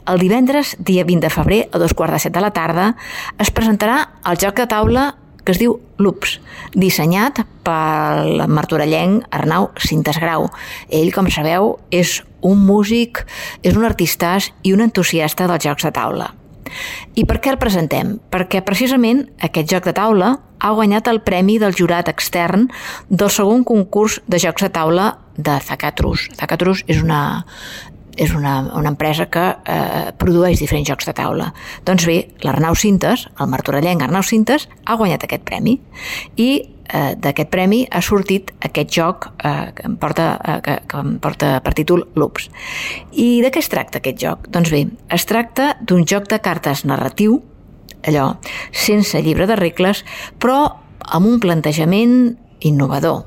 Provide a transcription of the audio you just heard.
el divendres, dia 20 de febrer, a 2:15 de la tarda, es presentarà el joc de taula que es diu Loops, dissenyat pel martorellenc Arnau Cintas Grau. Ell, com sabeu, és un músic, és un artistàs i un entusiasta dels jocs de taula. I per què el presentem? Perquè precisament aquest joc de taula ha guanyat el premi del jurat extern del segon concurs de jocs de taula de Zacatrus. Zacatrus és una empresa que produeix diferents jocs de taula. Doncs bé, l'Arnau Cintas, el martorellenc Arnau Cintas, ha guanyat aquest premi i d'aquest premi ha sortit aquest joc que em porta per títol Loops. I de què es tracta aquest joc? Doncs bé, es tracta d'un joc de cartes narratiu, allò, sense llibre de regles, però amb un plantejament innovador.